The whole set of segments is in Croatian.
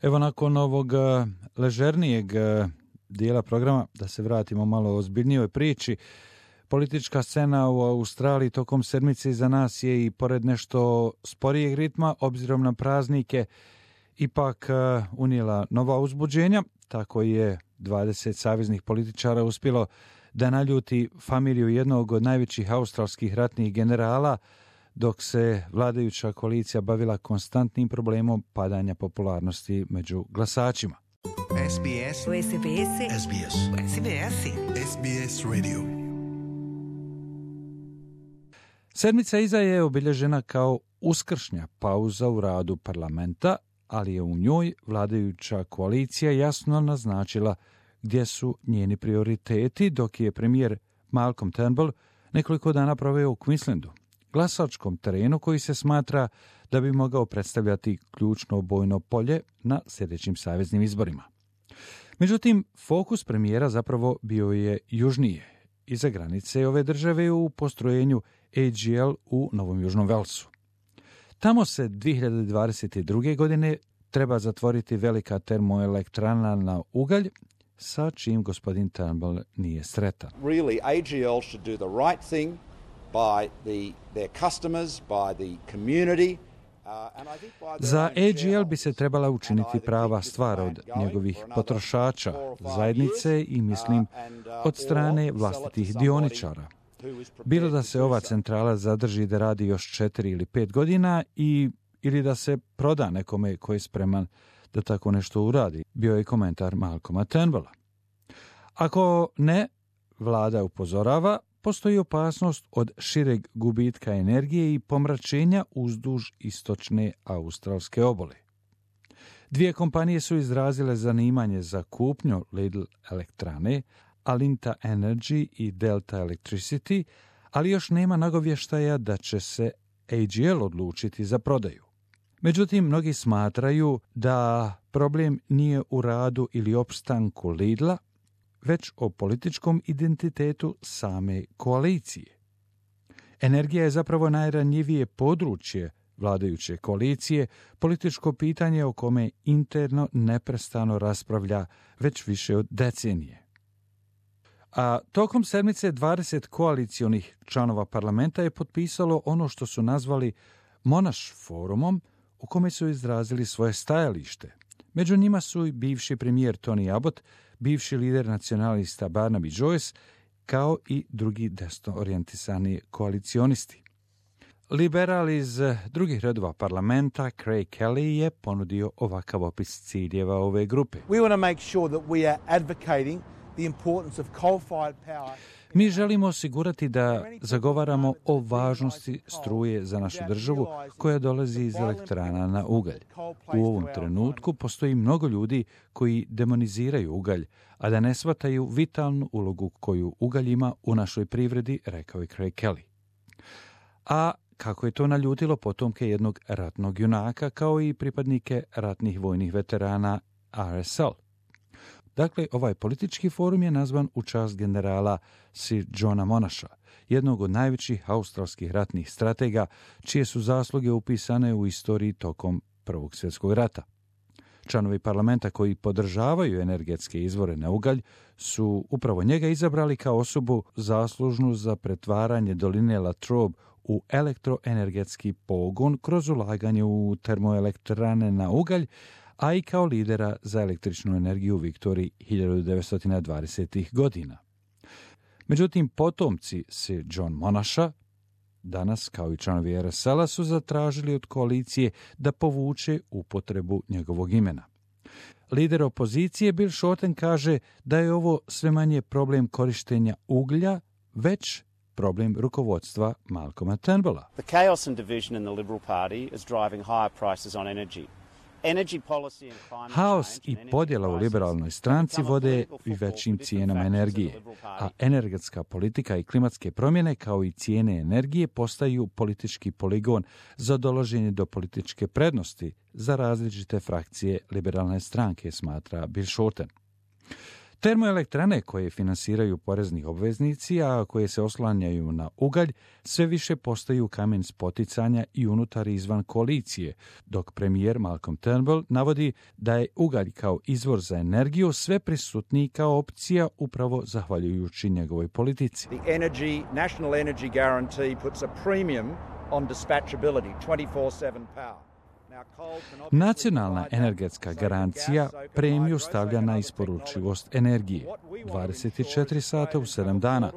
Evo nakon ovog ležernijeg dijela programa, da se vratimo malo o ozbiljnijoj priči. Politička scena u Australiji tokom sedmice iza nas je i pored nešto sporijeg ritma, obzirom na praznike, ipak unijela nova uzbuđenja. Tako je 20 saveznih političara uspjelo da naljuti familiju jednog od najvećih australskih ratnih generala, dok se vladajuća koalicija bavila konstantnim problemom padanja popularnosti među glasačima. SBS Radio. Sedmica iza je obilježena kao uskršnja pauza u radu parlamenta, ali je u njoj vladajuća koalicija jasno naznačila gdje su njeni prioriteti, dok je premijer Malcolm Turnbull nekoliko dana proveo u Queenslandu, glasačkom terenu koji se smatra da bi mogao predstavljati ključno bojno polje na sljedećim saveznim izborima. Međutim, fokus premijera zapravo bio je južnije, iza granice ove države u postrojenju AGL u Novom Južnom Velsu. Tamo se 2022. godine treba zatvoriti velika termoelektrana na ugalj, sa čim gospodin Turnbull nije sretan. Really, AGL should do the right thing by their customers, by the community. Za AGL bi se trebala učiniti prava stvar od njegovih potrošača, zajednice i mislim od strane vlastitih dioničara. Bilo da se ova centrala zadrži da radi još 4 ili 5 godina ili da se proda nekome koji je spreman da tako nešto uradi, bio je komentar Malcolma Turnbulla. Ako ne, vlada upozorava, postoji opasnost od šireg gubitka energije i pomračenja uzduž istočne australske obale. Dvije kompanije su izrazile zanimanje za kupnju Lidl elektrane, Alinta Energy i Delta Electricity, ali još nema nagovještaja da će se AGL odlučiti za prodaju. Međutim, mnogi smatraju da problem nije u radu ili opstanku Lidla, već o političkom identitetu same koalicije. Energija je zapravo najranjivije područje vladajuće koalicije, političko pitanje o kome interno neprestano raspravlja već više od decenije. A tokom sedmice 20 koalicionih članova parlamenta je potpisalo ono što su nazvali Monash forumom, u kome su izrazili svoje stajalište. Među njima su i bivši premijer Tony Abbott, bivši lider nacionalista Barnaby Joyce, kao i drugi desno orijentisani koalicionisti. Liberal iz drugih redova parlamenta, Craig Kelly, je ponudio ovakav opis ciljeva ove grupe. We want to make sure that we are advocating the importance of coal-fired power. Mi želimo osigurati da zagovaramo o važnosti struje za našu državu koja dolazi iz elektrana na ugalj. U ovom trenutku postoji mnogo ljudi koji demoniziraju ugalj, a da ne shvataju vitalnu ulogu koju ugalj ima u našoj privredi, rekao je Craig Kelly. A kako je to naljutilo potomke jednog ratnog junaka, kao i pripadnike ratnih vojnih veterana RSL. Dakle, ovaj politički forum je nazvan u čast generala Sir Johna Monasha, jednog od najvećih australskih ratnih stratega, čije su zasluge upisane u istoriji tokom Prvog svjetskog rata. Članovi parlamenta koji podržavaju energetske izvore na ugalj su upravo njega izabrali kao osobu zaslužnu za pretvaranje doline Latrobe u elektroenergetski pogon kroz ulaganje u termoelektrane na ugalj, a i kao lidera za električnu energiju u Viktoriji 1920. godina. Međutim, potomci Sir John Monasha, danas kao i članovi RSL-a, su zatražili od koalicije da povuče upotrebu njegovog imena. Lider opozicije Bill Shorten kaže da je ovo sve manje problem korištenja uglja, već problem rukovodstva Malcolma Turnbulla. The chaos and division in the Liberal Party is driving higher prices on energy. Haos i podjela u liberalnoj stranci vode i većim cijenama energije, a energetska politika i klimatske promjene kao i cijene energije postaju politički poligon za dolaženje do političke prednosti za različite frakcije liberalne stranke, smatra Bill Shorten. Termoelektrane koje finansiraju porezni obveznici, a koje se oslanjaju na ugalj, sve više postaju kamen spoticanja i unutar i izvan koalicije, dok premijer Malcolm Turnbull navodi da je ugalj kao izvor za energiju sve prisutniji kao opcija upravo zahvaljujući njegovoj politici. The National Energy Guarantee puts a premium on dispatchability, 24/7 power. Nacionalna energetska garancija premiju stavlja na isporučivost energije 24 sata u 7 dana.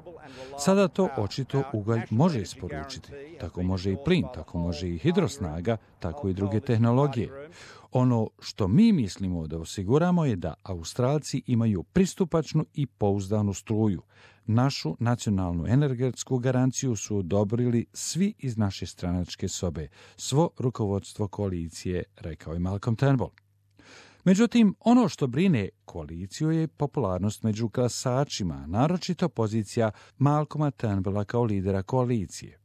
Sada to očito ugalj može isporučiti. Tako može i plin, tako može i hidrosnaga, tako i druge tehnologije. Ono što mi mislimo da osiguramo je da Australci imaju pristupačnu i pouzdanu struju. Našu nacionalnu energetsku garanciju su odobrili svi iz naše stranačke sobe, svo rukovodstvo koalicije, rekao je Malcolm Turnbull. Međutim, ono što brine koaliciju je popularnost među glasačima, naročito pozicija Malcolma Turnbulla kao lidera koalicije.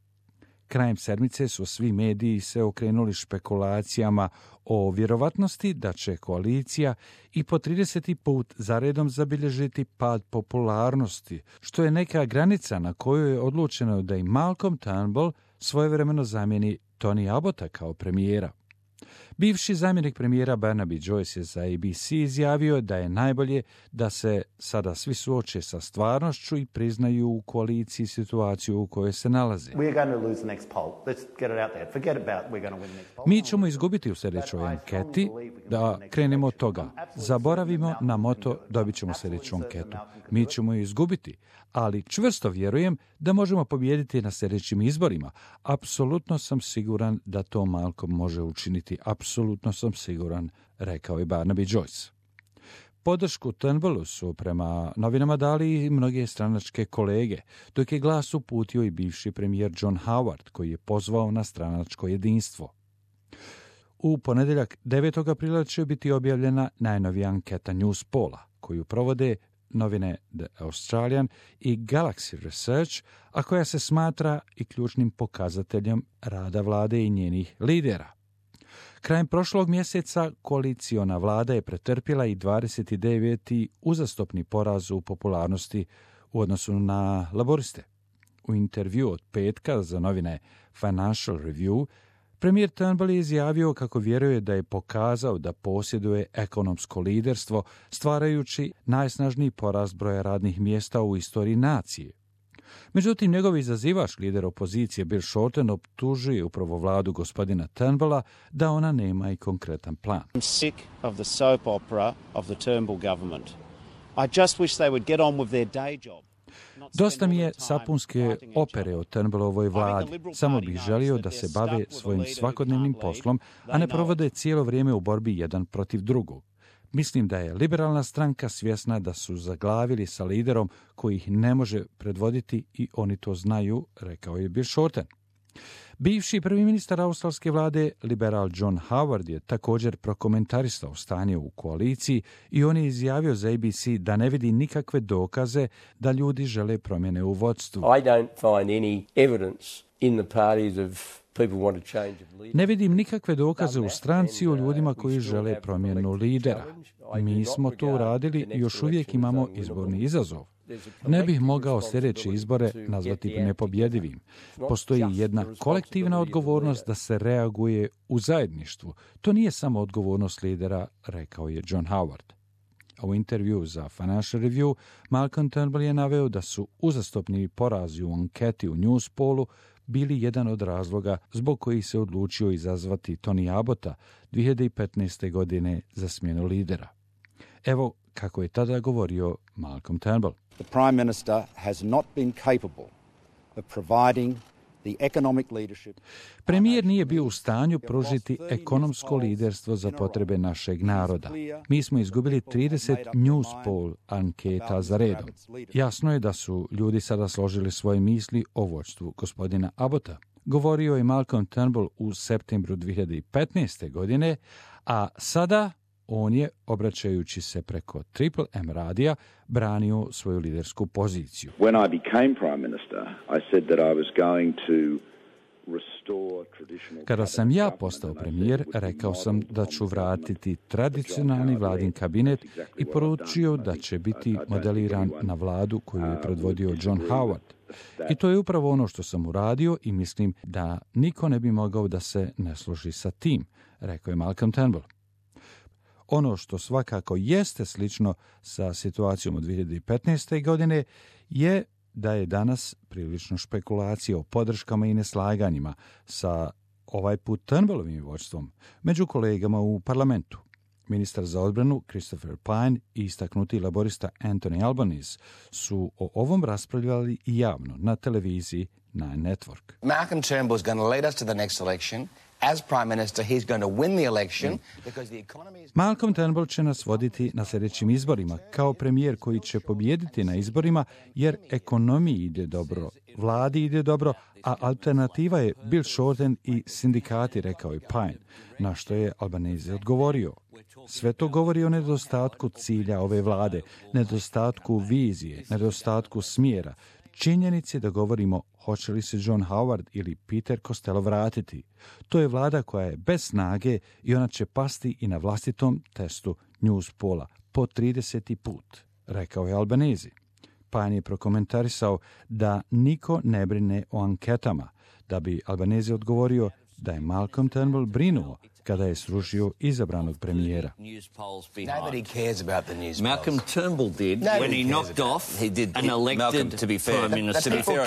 Krajem sedmice su svi mediji se okrenuli špekulacijama o vjerovatnosti da će koalicija i po 30. put zaredom zabilježiti pad popularnosti, što je neka granica na kojoj je odlučeno da i Malcolm Turnbull svojevremeno zamijeni Tony Abbotta kao premijera. Bivši zamjenik premijera Barnaby Joyce je za ABC izjavio da je najbolje da se sada svi suoče sa stvarnošću i priznaju u koaliciji situaciju u kojoj se nalaze. Mi ćemo izgubiti u sljedećoj anketi, da krenemo od toga. Zaboravimo na moto, dobit ćemo sljedeću anketu. Mi ćemo ju izgubiti, ali čvrsto vjerujem da možemo pobijediti na sljedećim izborima. Apsolutno sam siguran da to Malcolm može učiniti. Apsolutno sam siguran, rekao je Barnaby Joyce. Podršku Turnbullu su prema novinama dali i mnoge stranačke kolege, dok je glas uputio i bivši premijer John Howard, koji je pozvao na stranačko jedinstvo. U ponedjeljak 9. aprila će biti objavljena najnovija anketa Newspolla, koju provode novine The Australian i Galaxy Research, a koja se smatra i ključnim pokazateljem rada vlade i njenih lidera. Krajem prošlog mjeseca koaliciona vlada je pretrpjela i 29. uzastopni poraz u popularnosti u odnosu na laboriste. U intervju od petka za novine Financial Review, premijer Turnbull je izjavio kako vjeruje da je pokazao da posjeduje ekonomsko liderstvo, stvarajući najsnažniji porast broja radnih mjesta u istoriji nacije. Međutim, njegov izazivač, lider opozicije Bill Shorten, optužuje upravo vladu gospodina Turnbulla da ona nema i konkretan plan. I'm sick of the soap opera of the Turnbull government. I just wish they would get on with their day job. Dosta mi je sapunske opere o Turnbullovoj vladi. Samo bih želio da se bave svojim svakodnevnim poslom, a ne provode cijelo vrijeme u borbi jedan protiv drugog. Mislim da je liberalna stranka svjesna da su zaglavili sa liderom koji ih ne može predvoditi i oni to znaju, rekao je Bill Shorten. Bivši prvi ministar australske vlade, liberal John Howard, je također prokomentarisao stanje u koaliciji i on je izjavio za ABC da ne vidi nikakve dokaze da ljudi žele promjene u vodstvu. I don't find any evidence in the parties of people want to change of leader. Ne vidim nikakve dokaze u stranci o ljudima koji žele promjenu lidera. Mi smo to uradili i još uvijek imamo izborni izazov. Ne bih mogao sljedeće izbore nazvati nepobjedivim. Postoji jedna kolektivna odgovornost da se reaguje u zajedništvu. To nije samo odgovornost lidera, rekao je John Howard. A u intervju za Financial Review, Malcolm Turnbull je naveo da su uzastopni porazi u anketi u Newspollu bili jedan od razloga zbog kojih se odlučio izazvati Tony Abbotta 2015. godine za smjenu lidera. Evo kako je tada govorio Malcolm Turnbull. The Prime Minister has not been capable of providing the economic leadership. Premijer nije bio u stanju pružiti ekonomsko liderstvo za potrebe našeg naroda. Mi smo izgubili 30 Newspoll anketa za redom. Jasno je da su ljudi sada složili svoje misli o vođstvu gospodina Abbotta. Govorio je Malcolm Turnbull u septembru 2015. godine, a sada on je, obraćajući se preko Triple M radija, branio svoju lidersku poziciju. When I became Prime Minister, I said that I was going to Kada sam ja postao premijer, rekao sam da ću vratiti tradicionalni vladin kabinet i poručio da će biti modeliran na vladu koju je predvodio John Howard. I to je upravo ono što sam uradio i mislim da niko ne bi mogao da se ne složi sa tim, rekao je Malcolm Turnbull. Ono što svakako jeste slično sa situacijom od 2015. godine je da je danas prilično špekulacija o podrškama i neslaganjima sa ovaj put Turnbullovim vođstvom među kolegama u parlamentu. Ministar za odbranu Christopher Pyne i istaknuti laborista Anthony Albanese su o ovom raspravljali i javno na televiziji Nine Network. Malcolm Turnbull is going to lead us to the next election. As Prime Minister, he's going to win the election because the economy is... Malcolm Turnbull će nas voditi na sljedećim izborima kao premijer koji će pobijediti na izborima jer ekonomiji ide dobro, vladi ide dobro, a alternativa je Bill Shorten i sindikati, rekao je Pyne, na što je Albanese odgovorio. Sve to govori o nedostatku cilja ove vlade, nedostatku vizije, nedostatku smjera, činjenici da govorimo hoće li se John Howard ili Peter Costello vratiti. To je vlada koja je bez snage i ona će pasti i na vlastitom testu Newspolla po 30. put, rekao je Albanese. Pyne je prokomentarisao da niko ne brine o anketama, da bi Albanese odgovorio da je Malcolm Turnbull brinuo kada je srušio izabranog premijera. Nobody cares about the news Malcolm polls. Turnbull did Nobody when he cares knocked about off it. He did. an elected Malcolm, to be fair, Prime Minister. to be fair,